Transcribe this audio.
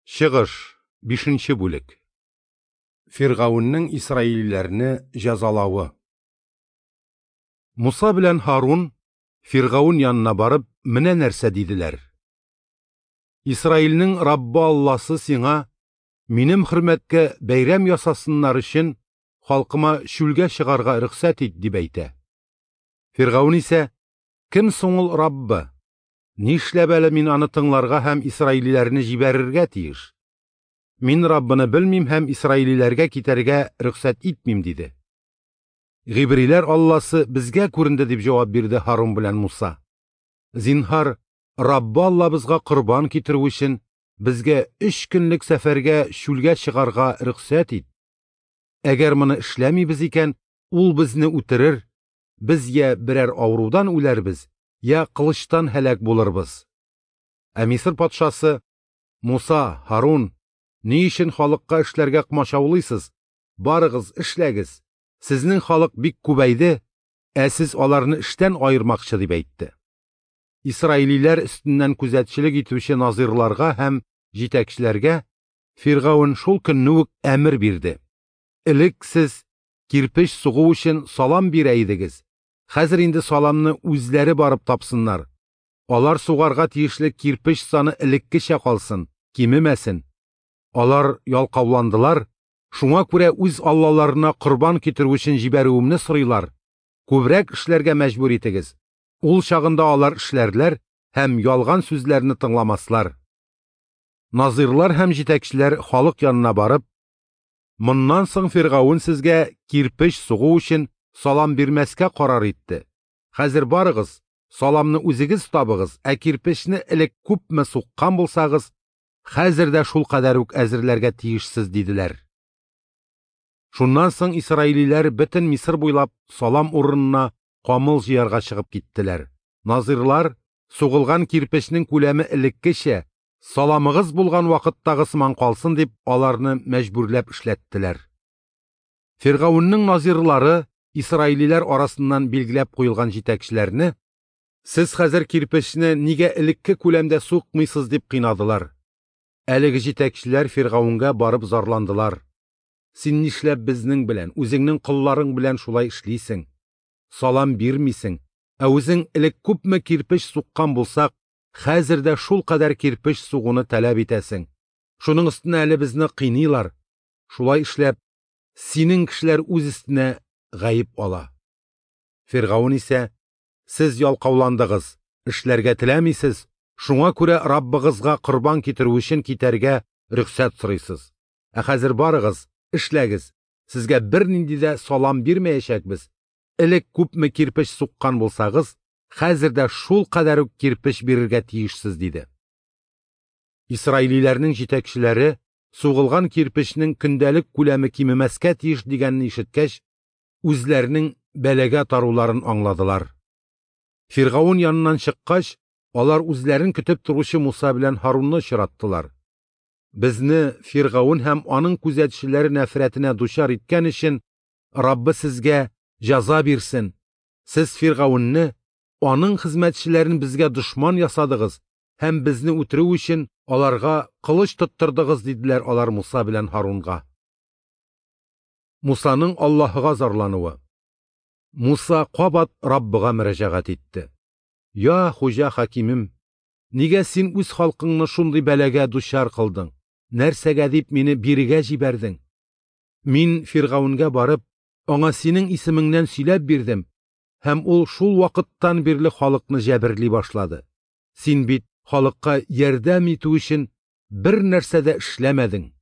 Чыгыш, 5 бүлек. Фиргавеннең исраилиләрне җәзалавы. Муса белән Һарун Фиргавен янына барып, менә нәрсә диделәр: Исраилнең Раббы Алласы сиңа, минем хөрмәткә бәйрәм ясасыннар өчен, халкыма чүлгә чыгарга рөхсәт ит, дип әйтә. Фиргавен исә: Кем соң ул Раббы? Нишләп әле мин аны тыңларга һәм исраилиләрне җибәрергә тиеш? Мин Раббыны белмим һәм исраилиләргә китәргә рөхсәт итмим, диде. Гыйбриләр Алласы безгә күренде, дип җавап бирде Һарун белән Муса. Зинһар, Раббы Аллабызга корбан китерү өчен безгә 3 көнлек сәфәргә чүлгә чыгарга рөхсәт ит. Әгәр моны эшләмибез икән, ул безне үтерер, без я берәр авырудан үләрбез, я кылычтан һәлак булырбыз. Ә Мисыр патшасы: Муса, Һарун, ни өчен халыкка эшләргә комачаулыйсыз? Барыгыз, эшләгез. Сезнең халык бик күбәйде, ә сез аларны эштән аермакчы, дип әйтте. Исраилиләр өстеннән күзәтчелек итүче назирларга һәм җитәкчеләргә Фиргавен шул көнне үк әмер бирде: Элек сез кирпеч сугу өчен салам бирә идегез, хәзер инде саламны үзләре барып тапсыннар. Алар сугарга тиешле кирпеч саны элеккечә калсын, кимемәсен. Алар ялкауландылар, шуңа күрә үз аллаларына корбан китерү өчен җибәрүемне сорыйлар. Күбрәк эшләргә мәҗбүр итегез. Ул чагында алар эшләрләр һәм ялган сүзләрне тыңламаслар. Назирлар һәм җитәкчеләр халык янына барып: Моннан соң Фиргавен сезгә кирпеч сугу өчен салам бирмәскә карар итте. Хәзер барыгыз, саламны үзегез табыгыз, ә кирпечне элек күпме суккан булсагыз, хәзер дә шул кадәр үк әзерләргә тиешсез, диделәр. Шуннан соң исраилиләр бөтен Мисыр буйлап салам урынына камыл җыярга чыгып киттеләр. Назирлар, сугылган кирпечнең күләме элеккечә, саламыгыз булган вакыттагы сыман калсын дип, аларны мәҗбүрләп эшләттеләр. Фиргавеннең назирлары исраилиләр арасыннан билгеләп куелган җитәкчеләрне: Сез хәзер кирпечне нигә элекке күләмдә сукмыйсыз, дип кыйнадылар. Әлеге җитәкчеләр Фиргавенгә барып зарландылар: Син нишләп безнең белән, үзеңнең колларың белән шулай эшлисең? Салам бирмисең, ә үзең элек күпме кирпеч суккан булсак, хәзер дә шул кадәр кирпеч сугуны таләп итәсең. Шуның өстенә әле безне кыйныйлар. Шулай эшләп, синең кешеләр үз өстенә гаеп ала. Фиргавен исә: Сез ялкауландыгыз, эшләргә теләмисез, шуңа күрә Раббыгызга корбан китерү өчен китәргә рөхсәт сорыйсыз. Ә хәзер барыгыз, эшләгез, сезгә бернинди дә салам бирмәячәкбез. Элек күпме кирпеч суккан булсагыз, хәзер дә шул кадәр үк кирпеч бирергә тиешсез, диде. Исраилиләрнең җитәкчеләре сугылган кирпечнең көндәлек күләме кимемәскә тиеш дигәнне ишеткәч, үзләренең бәлагә таруларын аңладылар. Фиргавен яныннан чыккач, алар үзләрен көтеп торучы Муса белән Һарунны очраттылар. Безне Фиргавен һәм аның күзәтчеләре нәфрәтенә дучар иткән өчен Раббы сезгә җәза бирсен. Сез Фиргавенне, аның хезмәтчеләрен безгә дошман ясадыгыз һәм безне үтерү өчен аларга кылыч тоттырдыгыз, диделәр алар Муса белән Һарунга. Мусаның Аллаһыга зарлануы. Муса кабат Раббыга мөрәҗәгать итте: Я Хуҗа хакимем, нигә син үз халкыңны шундый бәлагә дучар кылдың? Нәрсәгә дип мине бирегә җибәрдең? Мин Фиргавенгә барып, аңа синең исемеңнән сөйләп бирдем, һәм ул шул вакыттан бирле халыкны җәберли башлады. Син бит халыкка ярдәм итү өчен бер нәрсә дә эшләмәдең.